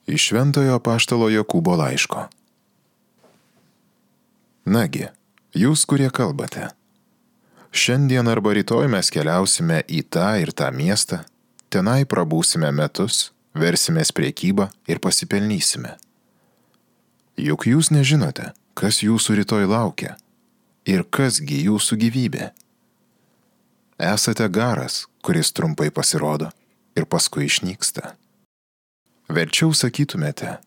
Iš Šventojo apaštalo Jokūbo laiško. Nagi, jūs, kurie kalbate, šiandien arba rytoj mes keliausime į tą ir tą miestą, tenai prabūsime metus, versimės priekybą ir pasipelnysime. Juk jūs nežinote, kas jūsų rytoj laukia ir kasgi jūsų gyvybė. Esate garas, kuris trumpai pasirodo ir paskui išnyksta. Verčiau sakytumėte,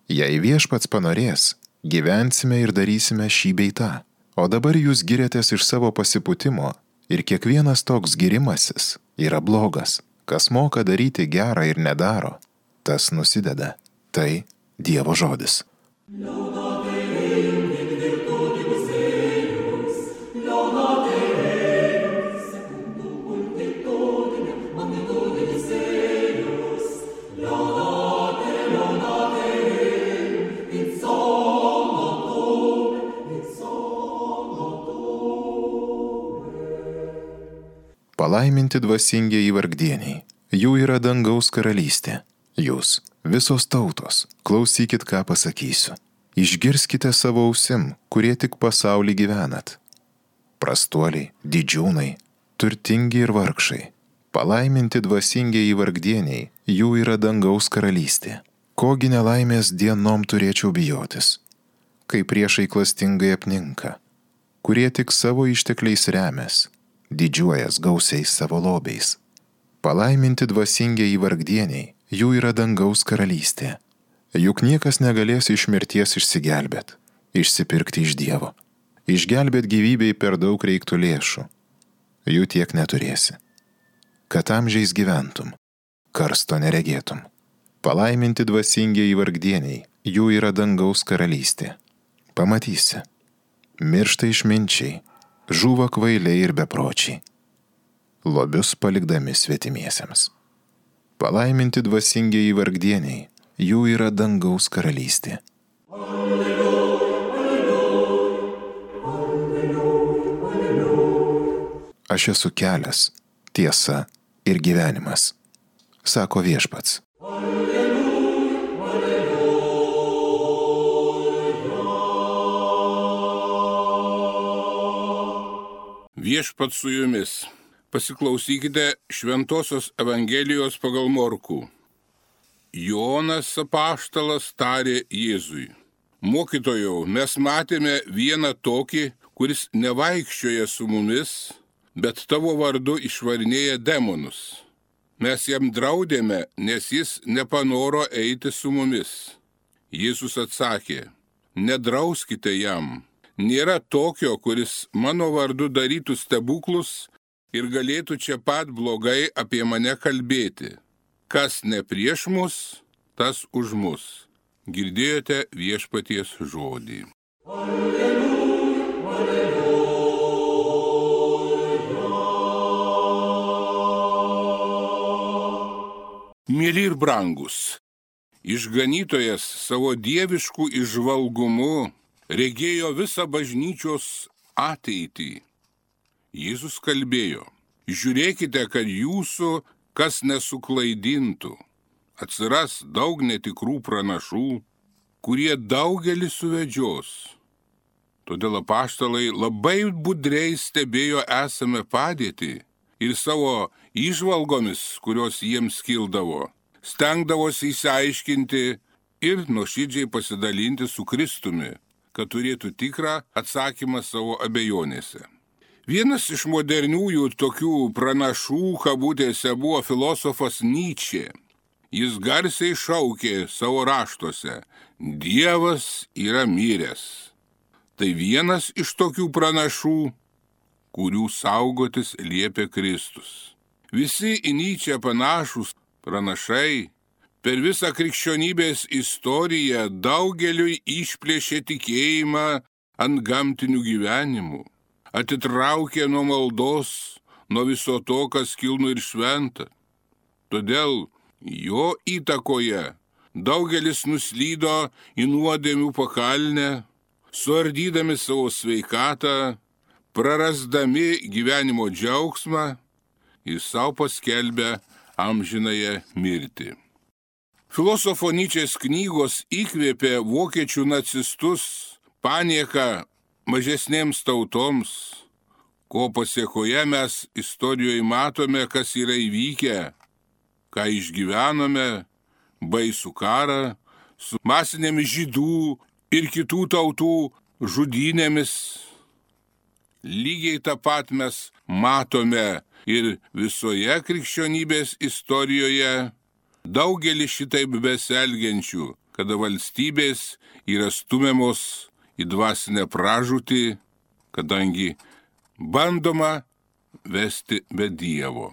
jei viešpats panorės, gyvensime ir darysime šį bei tą, o dabar jūs giriatės iš savo pasipūtimo ir kiekvienas toks girimasis yra blogas. Kas moka daryti gerą ir nedaro, tas nusideda. Tai Dievo žodis. Palaiminti dvasingieji vargdieniai, jų yra dangaus karalystė. Jūs, visos tautos, klausykit, ką pasakysiu. Išgirskite savo ausim, kurie tik pasaulį gyvenat. Prastuoliai, didžiūnai, turtingi ir vargšai. Palaiminti dvasingieji vargdieniai, jų yra dangaus karalystė. Kogi nelaimės dienom turėčiau bijotis, kai priešai klastingai apninka, kurie tik savo ištekliais remias, didžiuojas gausiais savo lobiais. Palaiminti dvasingieji vargdieniai, jų yra dangaus karalystė. Juk niekas negalės iš mirties išsigelbėt, išsipirkti iš Dievo. Išgelbėt gyvybei per daug reiktų lėšų. Jų tiek neturėsi. Kad amžiais gyventum, karsto neregėtum. Palaiminti dvasingieji vargdieniai, jų yra dangaus karalystė. Pamatysi. Miršta išminčiai, žūva kvailiai ir bepročiai, lobius palikdami svetimiesiems. Palaiminti dvasingieji vargdieniai, jų yra dangaus karalystė. Aš esu kelias, tiesa ir gyvenimas, sako viešpats. Viešpats su jumis. Pasiklausykite Šventosios Evangelijos pagal Morkų. Jonas apaštalas tarė Jėzui: Mokytojau, mes matėme vieną tokį, kuris nevaikščioja su mumis, bet tavo vardu išvarinėja demonus. Mes jam draudėme, nes jis nepanoro eiti su mumis. Jėzus atsakė: Nedrauskite jam. Nėra tokio, kuris mano vardu darytų stebuklus ir galėtų čia pat blogai apie mane kalbėti. Kas ne prieš mus, tas už mus. Girdėjote viešpaties žodį. Alleluja, alleluja. Mieli ir brangus, išganytojas savo dieviškų įžvalgumu regėjo visą bažnyčios ateitį. Jėzus kalbėjo: Žiūrėkite, kad jūsų kas nesuklaidintų. Atsiras daug netikrų pranašų, kurie daugelį suvedžios. Todėl apaštalai labai budriai stebėjo esamą padėtį ir savo įžvalgomis, kurios jiems kildavo, stengdavosi išsiaiškinti ir nuoširdžiai pasidalinti su Kristumi, kad turėtų tikrą atsakymą savo abejonėse. Vienas iš moderniųjų tokių pranašų kabutėse buvo filosofas Nyčė. Jis garsiai šaukė savo raštuose: Dievas yra miręs. Tai vienas iš tokių pranašų, kurių saugotis liepė Kristus. Visi į Nyčę panašūs pranašai per visą krikščionybės istoriją daugeliui išplėšė tikėjimą ant gamtinių gyvenimų, atitraukė nuo maldos, nuo viso to, kas kilnu ir šventa. Todėl jo įtakoje daugelis nuslydo į nuodėmių pakalnę, suardydami savo sveikatą, prarasdami gyvenimo džiaugsmą ir savo paskelbę amžinąją mirtį. Filosofo Nyčės knygos įkvėpė vokiečių nacistus panieką mažesnėms tautoms, ko pasiekoje mes istorijoje matome, kas yra įvykę, ką išgyvenome, baisų karą su masinėmis žydų ir kitų tautų žudynėmis. Lygiai tą pat mes matome ir visoje krikščionybės istorijoje. Daugelis šitaip besielgiančių, kada valstybės yra stumiamos į dvasinę pražūtį, kadangi bandoma vesti be Dievo.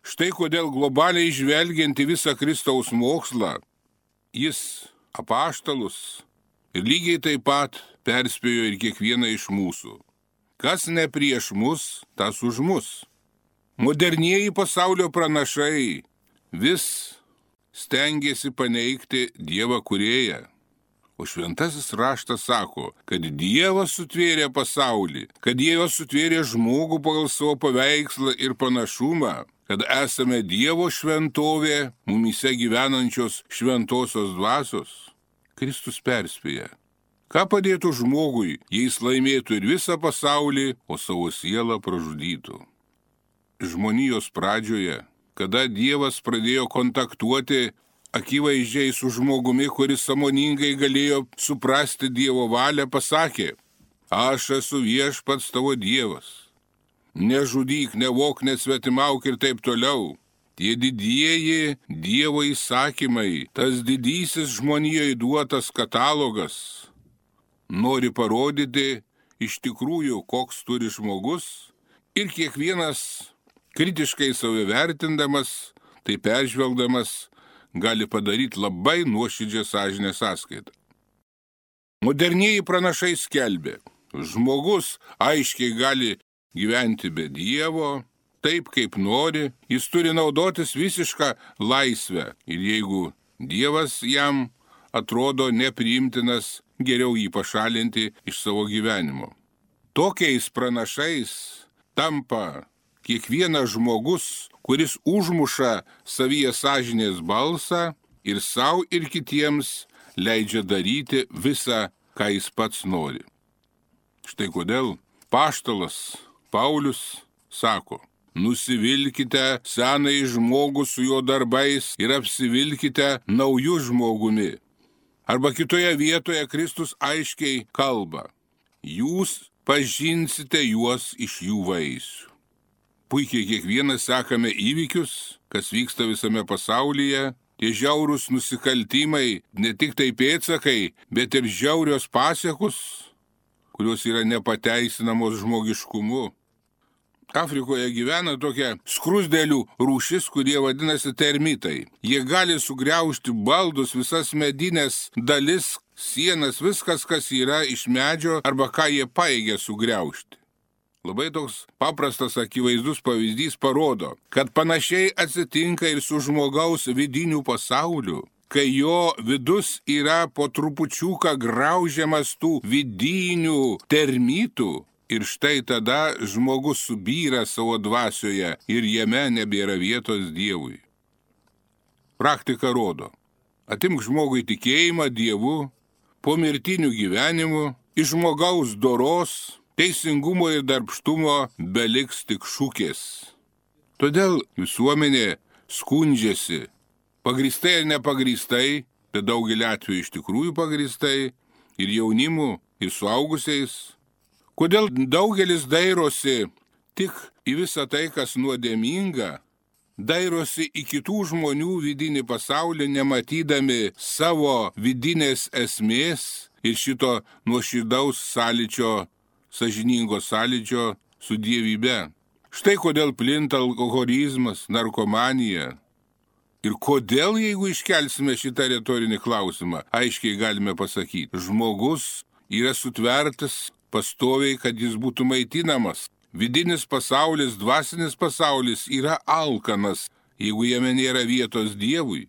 Štai kodėl globaliai žvelgiant į visą Kristaus mokslą, jis apaštalus ir lygiai taip pat perspėjo ir kiekvieną iš mūsų. Kas ne prieš mus, tas už mus. Modernieji pasaulio pranašai vis stengiasi paneigti Dievą kūrėją. O šventasis raštas sako, kad Dievas sutvėrė pasaulį, kad Dievas sutvėrė žmogų pagal savo paveikslą ir panašumą, kad esame Dievo šventovė, mumyse gyvenančios šventosios dvasios. Kristus perspėja. Ką padėtų žmogui, jei jis laimėtų ir visą pasaulį, o savo sielą pražudytų? Žmonijos pradžioje, kada Dievas pradėjo kontaktuoti akivaizdžiai su žmogumi, kuris sąmoningai galėjo suprasti Dievo valią, pasakė: aš esu viešpats tavo Dievas. Nežudyk, nevok, nesvetimauk ir taip toliau. Tie didieji Dievo įsakymai, tas didysis žmonijoje duotas katalogas, nori parodyti iš tikrųjų, koks turi žmogus, ir kiekvienas kritiškai save vertindamas, tai peržvelgdamas, gali padaryti labai nuoširdžią sąžinės sąskaitą. Modernieji pranašai skelbė, žmogus aiškiai gali gyventi be Dievo, taip kaip nori, jis turi naudotis visišką laisvę ir jeigu Dievas jam atrodo nepriimtinas, geriau jį pašalinti iš savo gyvenimo. Tokiais pranašais tampa kiekvienas žmogus, kuris užmuša savyje sąžinės balsą ir savo ir kitiems leidžia daryti visą, ką jis pats nori. Štai kodėl paštalas Paulius sako: nusivilkite senąjį žmogų su jo darbais ir apsivilkite naujų žmogumi. Arba kitoje vietoje Kristus aiškiai kalba: jūs pažinsite juos iš jų vaisių. Puikiai kiekvienas sekame įvykius, kas vyksta visame pasaulyje, tie žiaurūs nusikaltimai, ne tik tai pėdsakai, bet ir žiaurios pasiekos, kurios yra nepateisinamos žmogiškumu. Afrikoje gyvena tokia skrusdėlių rūšis, kurie vadinasi termitai. Jie gali sugriaužti baldus, visas medinės dalis, sienas, viskas, kas yra iš medžio arba ką jie pajėgia sugriaužti. Labai toks paprastas akivaizdus pavyzdys parodo, kad panašiai atsitinka ir su žmogaus vidiniu pasauliu, kai jo vidus yra po trupučiuką graužiamas tų vidinių termitų. Ir štai tada žmogus subyra savo dvasioje ir jame nebėra vietos Dievui. Praktika rodo, atimk žmogui tikėjimą Dievu, po mirtinių gyvenimų, iš žmogaus doros, teisingumo ir darbštumo beliks tik šūkės. Todėl visuomenė skundžiasi, pagrįstai ir nepagrįstai, bet daugelį atvejų iš tikrųjų pagrįstai, ir jaunimu, ir suaugusiais. Kodėl daugelis dairosi tik į visą tai, kas nuodėminga, dairosi į kitų žmonių vidinį pasaulį, nematydami savo vidinės esmės ir šito nuoširdaus sąlyčio, sąžiningo sąlyčio su dievybe. Štai kodėl plinta alkoholizmas, narkomanija. Ir kodėl, jeigu iškelsime šitą retorinį klausimą, aiškiai galime pasakyti, žmogus yra sutvertas pastoviai, kad jis būtų maitinamas. Vidinis pasaulis, dvasinis pasaulis yra alkanas, jeigu jame nėra vietos Dievui.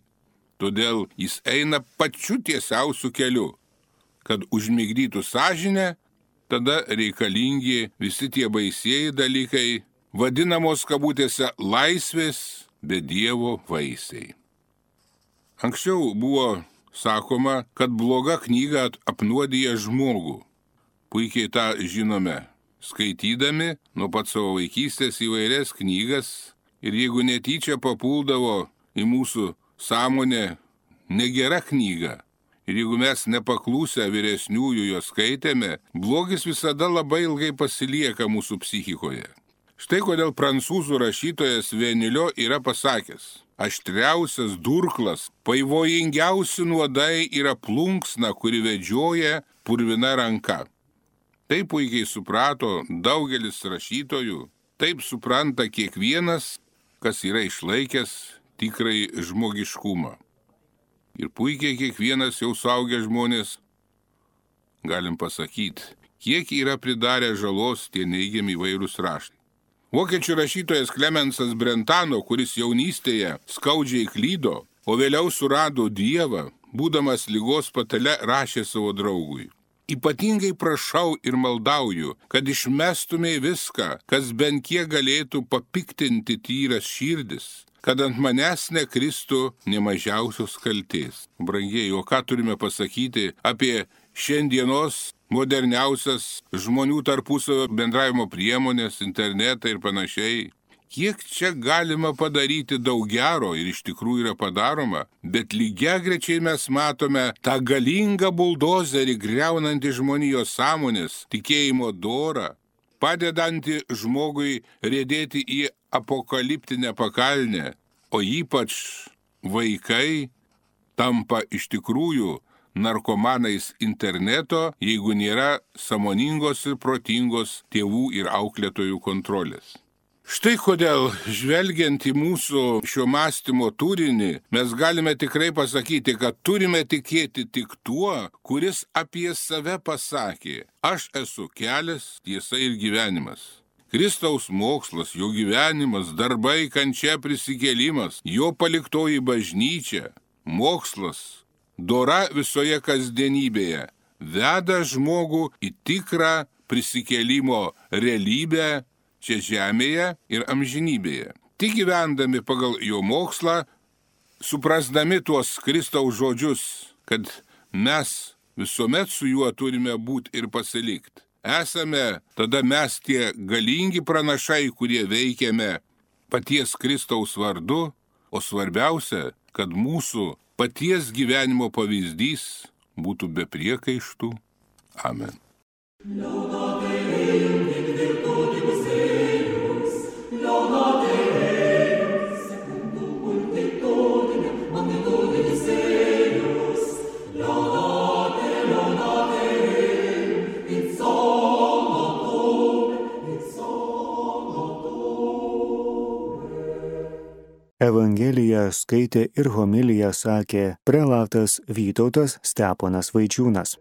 Todėl jis eina pačiu tiesiausiu keliu, kad užmigdytų sąžinę, tada reikalingi visi tie baisieji dalykai, vadinamos kabutėse laisvės be Dievo vaisiai. Anksčiau buvo sakoma, kad bloga knyga apnuodija žmogų. Puikiai tą žinome, skaitydami nuo pat savo vaikystės įvairias knygas ir jeigu netyčia papuldavo į mūsų sąmonę negera knyga ir jeigu mes nepaklūsę vyresniųjų jo skaitėme, blogis visada labai ilgai pasilieka mūsų psichikoje. Štai kodėl prancūzų rašytojas Venilio yra pasakęs: aštriausias durklas, pavojingiausi nuodai yra plunksna, kuri vedžioja purvina ranka. Taip puikiai suprato daugelis rašytojų, taip supranta kiekvienas, kas yra išlaikęs tikrai žmogiškumą. Ir puikiai kiekvienas jau suaugę žmonės galim pasakyti, kiek yra pridarę žalos tie neigiami įvairūs raštai. Vokiečių rašytojas Klemensas Brentano, kuris jaunystėje skaudžiai klydo, o vėliau surado Dievą, būdamas ligos patale, rašė savo draugui: ypatingai prašau ir maldauju, kad išmestumei viską, kas bent kiek galėtų papiktinti tyras širdis, kad ant manęs nekristų nemažiausios kaltės. Brangieji, o ką turime pasakyti apie šiandienos moderniausias žmonių tarpusavio bendravimo priemonės, internetą ir panašiai? Kiek čia galima padaryti daug gero ir iš tikrųjų yra padaroma, bet lygiagrečiai mes matome tą galingą buldozerį griaunantį žmonijos sąmonės, tikėjimo dorą, padedantį žmogui riedėti į apokaliptinę pakalnę, o ypač vaikai tampa iš tikrųjų narkomanais interneto, jeigu nėra sąmoningos ir protingos tėvų ir auklėtojų kontrolės. Štai kodėl, žvelgiant į mūsų šio mąstymo turinį, mes galime tikrai pasakyti, kad turime tikėti tik tuo, kuris apie save pasakė: aš esu kelias, tiesa ir gyvenimas. Kristaus mokslas, jo gyvenimas, darbai, kančia, prisikėlimas, jo paliktoji bažnyčia, mokslas, dora visoje kasdienybėje veda žmogų į tikrą prisikėlimo realybę čia žemėje ir amžinybėje. Tik gyvendami pagal jo mokslą, suprasdami tuos Kristaus žodžius, kad mes visuomet su juo turime būti ir pasilikti, esame tada mes tie galingi pranašai, kurie veikiame paties Kristaus vardu, o svarbiausia, kad mūsų paties gyvenimo pavyzdys būtų be priekaištų. Amen. Evangeliją skaitė ir homiliją sakė prelatas Vytautas Steponas Vaičiūnas.